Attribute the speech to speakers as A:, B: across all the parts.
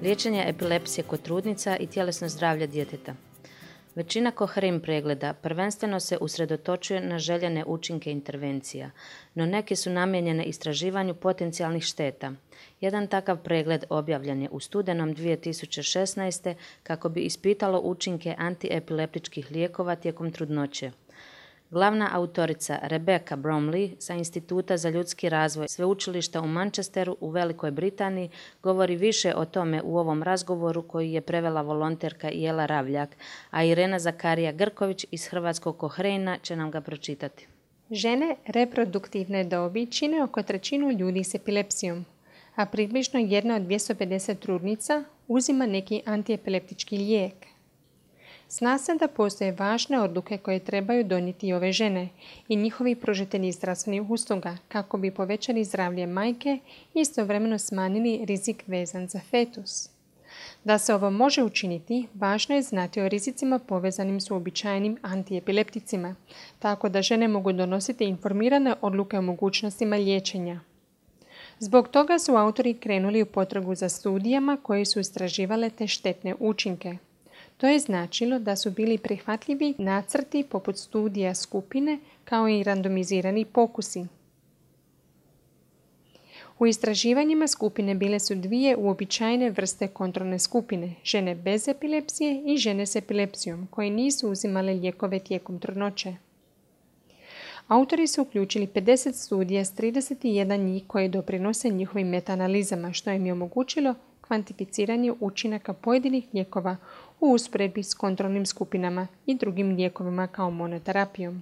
A: liječenje epilepsije kod trudnica i tjelesno zdravlje djeteta. Većina Cochrane pregleda prvenstveno se usredotočuje na željene učinke intervencija, no neke su namijenjene istraživanju potencijalnih šteta. Jedan takav pregled objavljen je u studenom 2016. kako bi ispitalo učinke antiepileptičkih lijekova tijekom trudnoće. Glavna autorica Rebecca Bromley sa Instituta za ljudski razvoj Sveučilišta u Manchesteru u Velikoj Britaniji govori više o tome u ovom razgovoru koji je prevela volonterka Jela Ravljak, a Irena Zakarija Grković iz Hrvatskog Cochrana će nam ga pročitati.
B: Žene reproduktivne dobi čine oko trećinu ljudi s epilepsijom, a približno 1 od 250 trudnica uzima neki antiepileptički lijek. Zna se da postoje važne odluke koje trebaju donijeti ove žene i njihovi pružatelji zdravstvenih usluga kako bi povećali zdravlje majke i istovremeno smanjili rizik vezan za fetus. Da se ovo može učiniti, važno je znati o rizicima povezanim s uobičajenim antiepilepticima, tako da žene mogu donositi informirane odluke o mogućnostima liječenja. Zbog toga su autori krenuli u potragu za studijama koje su istraživale te štetne učinke. To je značilo da su bili prihvatljivi nacrti poput studija skupine kao i randomizirani pokusi. U istraživanjima skupine bile su 2 uobičajene vrste kontrolne skupine, žene bez epilepsije i žene s epilepsijom, koje nisu uzimale lijekove tijekom trudnoće. Autori su uključili 50 studija s 31 njih koje doprinose njihovim metaanalizama, što im je omogućilo kvantificiranje učinaka pojedinih lijekova u usporedbi s kontrolnim skupinama i drugim lijekovima kao monoterapijom.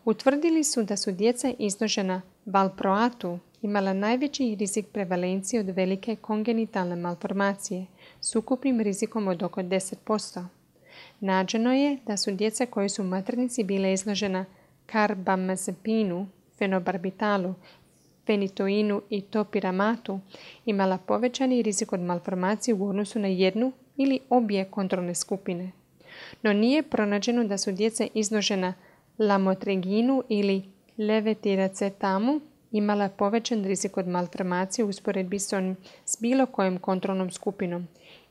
B: Utvrdili su da su djeca izložena valproatu imala najveći rizik prevalencije od velike kongenitalne malformacije s ukupnim rizikom od oko 10%. Nađeno je da su djeca koje su u maternici bile izložena karbamazepinu, fenobarbitalu, fenitoinu i topiramatu imala povećani rizik od malformacije u odnosu na jednu ili obje kontrolne skupine. No nije pronađeno da su djeca izložena lamotreginu ili levetiracetamu imala povećan rizik od malformacije u usporedbi s bilo kojom kontrolnom skupinom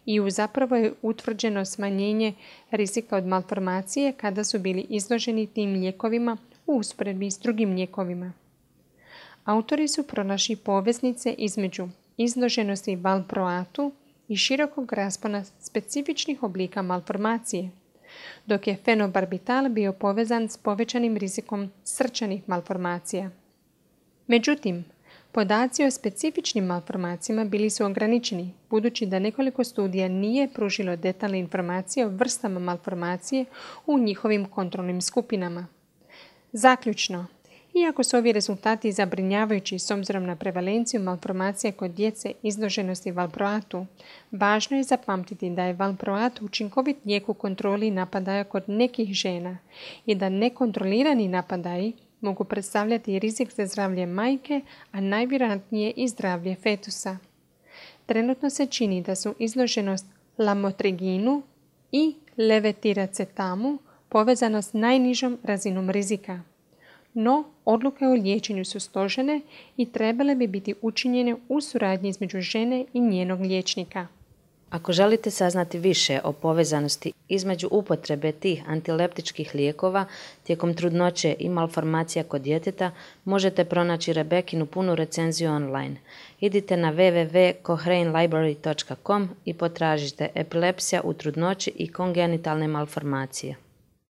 B: i zapravo je utvrđeno smanjenje rizika od malformacije kada su bili izloženi tim lijekovima u usporedbi s drugim lijekovima. Autori su pronašli poveznice između izloženosti valproatu i širokog raspona specifičnih oblika malformacije, dok je fenobarbital bio povezan s povećanim rizikom srčanih malformacija. Međutim, podaci o specifičnim malformacijama bili su ograničeni, budući da nekoliko studija nije pružilo detaljne informacije o vrstama malformacije u njihovim kontrolnim skupinama. Zaključno, iako su ovi rezultati zabrinjavajući s obzirom na prevalenciju malformacija kod djece izloženosti valproatu, važno je zapamtiti da je valproat učinkovit lijek u kontroli napadaja kod nekih žena i da nekontrolirani napadaji mogu predstavljati rizik za zdravlje majke, a najvjerojatnije i zdravlje fetusa. Trenutno se čini da su izloženost lamotreginu i levetiracetamu povezana s najnižom razinom rizika. No, odluke o liječenju su složene i trebale bi biti učinjene u suradnji između žene i njenog liječnika.
A: Ako želite saznati više o povezanosti između upotrebe tih antileptičkih lijekova tijekom trudnoće i malformacija kod djeteta, možete pronaći Rebekinu punu recenziju online. Idite na www.cochranelibrary.com i potražite epilepsija u trudnoći i kongenitalne malformacije.